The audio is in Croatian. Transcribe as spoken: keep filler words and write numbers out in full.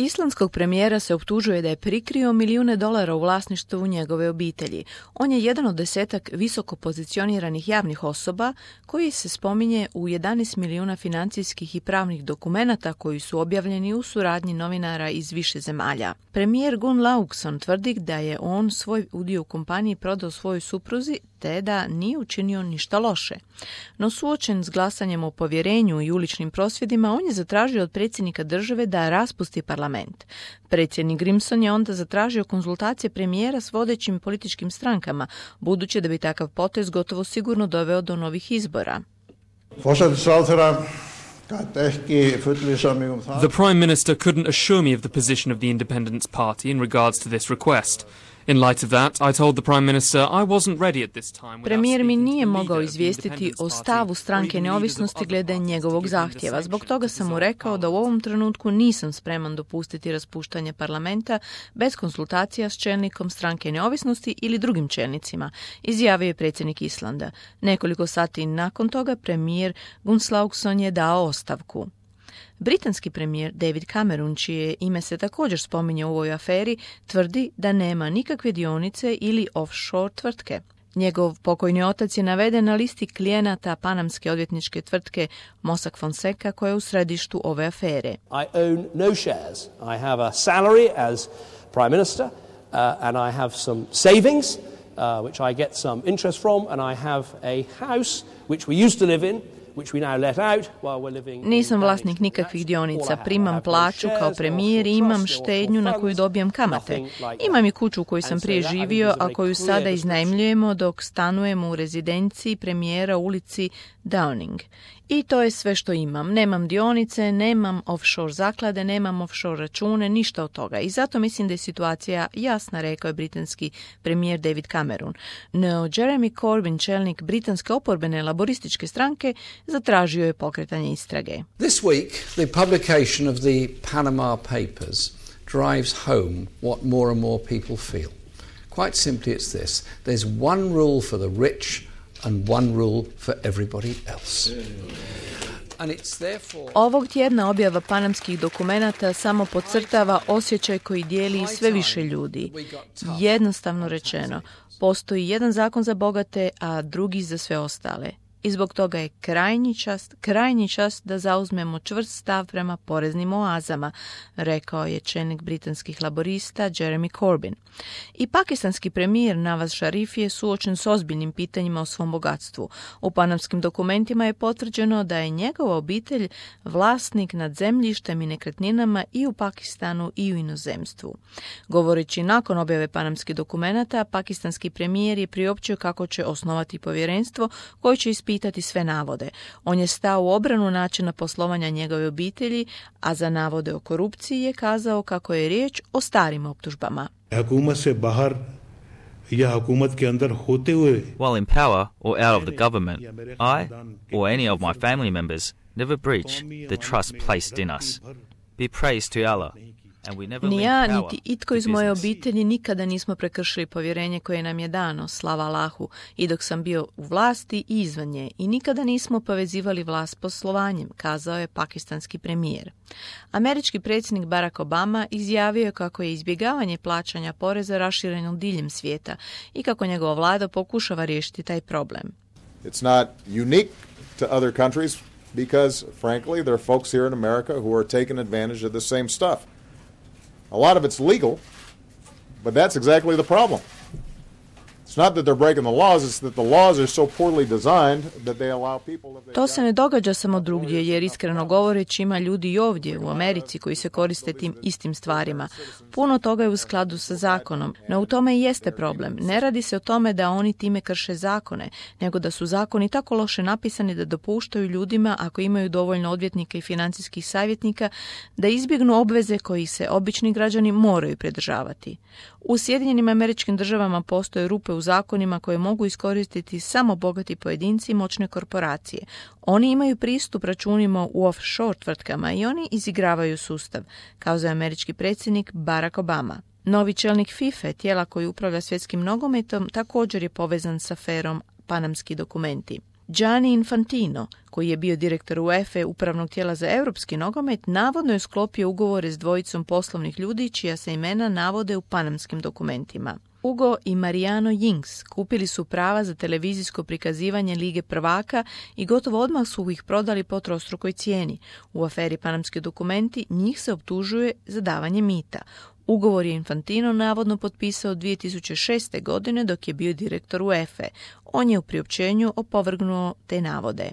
Islandskog premijera se optužuje da je prikrio milijune dolara u vlasništvu njegove obitelji. On je jedan od desetak visoko pozicioniranih javnih osoba koji se spominje u jedanaest milijuna financijskih i pravnih dokumenata koji su objavljeni u suradnji novinara iz više zemalja. Premijer Gunn Laugson tvrdi da je on svoj udio u kompaniji prodao svojoj supruzi te da nije učinio ništa loše. No suočen s glasanjem o povjerenju i uličnim prosvjedima, on je zatražio od predsjednika države da raspusti parlament. Predsjednik Grimson je onda zatražio konzultacije premijera s vodećim političkim strankama, budući da bi takav potez gotovo sigurno doveo do novih izbora. The Prime Minister couldn't assure me of the position of the Independence Party in regards to this request. In light of that, I told the Prime Minister I wasn't ready at this time. Premijer mi nije mogao izvijestiti o stavu stranke neovisnosti glede njegovog zahtjeva. Zbog toga sam mu rekao da u ovom trenutku nisam spreman dopustiti raspuštanje parlamenta bez konsultacija s čelnikom stranke neovisnosti ili drugim čelnicima, izjavio je predsjednik Islanda. Nekoliko sati nakon toga premijer Gunn Laugson je dao ostavku. Britanski premijer David Cameron, čije ime se također spominje u ovoj aferi, tvrdi da nema nikakve dionice ili offshore tvrtke. Njegov pokojni otac je naveden na listi klijenata panamske odvjetničke tvrtke Mossack Fonseca koja je u središtu ove afere. I own no shares. I have a salary as prime minister uh, and I have some savings uh, which I get some interest from and I have a house which we used to live in. Nisam vlasnik nikakvih dionica, primam plaću kao premijer i imam štednju na koju dobijam kamate. Imam i kuću u kojoj sam prije živio, a koju sada iznajmljujemo dok stanujemo u rezidenciji premijera u ulici Downing. I to je sve što imam. Nemam dionice, nemam offshore zaklade, nemam offshore račune, ništa od toga. I zato mislim da je situacija jasna, rekao je britanski premijer David Cameron. No, Jeremy Corbyn, čelnik britanske oporbene laborističke stranke, zatražio je pokretanje istrage. This week, the publication of the Panama Papers drives home what more and more people feel. Quite simply it's this. There's one rule for the rich and one rule for everybody else. And it's therefore... Ovog tjedna objava panamskih dokumenata samo podcrtava osjećaj koji dijeli sve više ljudi. Jednostavno rečeno, postoji jedan zakon za bogate, a drugi za sve ostale. I zbog toga je krajnji čas, krajnji čas da zauzmemo čvrst stav prema poreznim oazama, rekao je čelnik britanskih laborista Jeremy Corbyn. I pakistanski premijer Nawaz Sharif je suočen s ozbiljnim pitanjima o svom bogatstvu. U panamskim dokumentima je potvrđeno da je njegova obitelj vlasnik nad zemljištem i nekretninama i u Pakistanu i u inozemstvu. Govoreći nakon objave panamskih dokumenata, pakistanski premijer je priopćio kako će osnovati povjerenstvo koje će ispitati sve navode. On je stao u obranu načina poslovanja njegove obitelji, a za navode o korupciji je kazao kako je riječ o starim optužbama. While in power or out of the government, I or any of my family members never breach the trust placed in us. Be praised to Allah. Ni ja, niti itko iz moje obitelji nikada nismo prekršili povjerenje koje nam je dano, slava Allahu, i dok sam bio u vlasti i izvan nje, i nikada nismo povezivali vlast s poslovanjem, kazao je pakistanski premijer. Američki predsjednik Barack Obama izjavio je kako je izbjegavanje plaćanja poreza rašireno diljem svijeta i kako njegova vlada pokušava riješiti taj problem. It's not unique to other countries because, frankly, there are folks here in America who are taking advantage of the same stuff. A lot of it's legal, but that's exactly the problem. It's not that they're breaking the laws, it's that the laws are so poorly designed that they allow people... To se ne događa samo drugdje, jer iskreno govoreći ima ljudi i ovdje u Americi koji se koriste tim istim stvarima. Puno toga je u skladu sa zakonom, no u tome i jeste problem. Ne radi se o tome da oni time krše zakone, nego da su zakoni tako loše napisani da dopuštaju ljudima, ako imaju dovoljno odvjetnika i financijskih savjetnika, da izbjegnu obveze kojih se obični građani moraju pridržavati. U Sjedinjenim Američkim Državama postoje rupe u zakonima koje mogu iskoristiti samo bogati pojedinci i moćne korporacije. Oni imaju pristup računima u offshore tvrtkama i oni izigravaju sustav, kazao je američki predsjednik Barack Obama. Novi čelnik FIFA, tijela koji upravlja svjetskim nogometom, također je povezan s aferom Panamski dokumenti. Gianni Infantino, koji je bio direktor UEFA upravnog tijela za europski nogomet, navodno je sklopio ugovore s dvojicom poslovnih ljudi čija se imena navode u panamskim dokumentima. Hugo i Mariano Jinks kupili su prava za televizijsko prikazivanje Lige prvaka i gotovo odmah su ih prodali po trostrukoj cijeni. U aferi Panamski dokumenti njih se optužuje za davanje mita. Ugovor je Infantino navodno potpisao dvije tisuće šeste. godine dok je bio direktor UEFA. On je u priopćenju opovrgnuo te navode.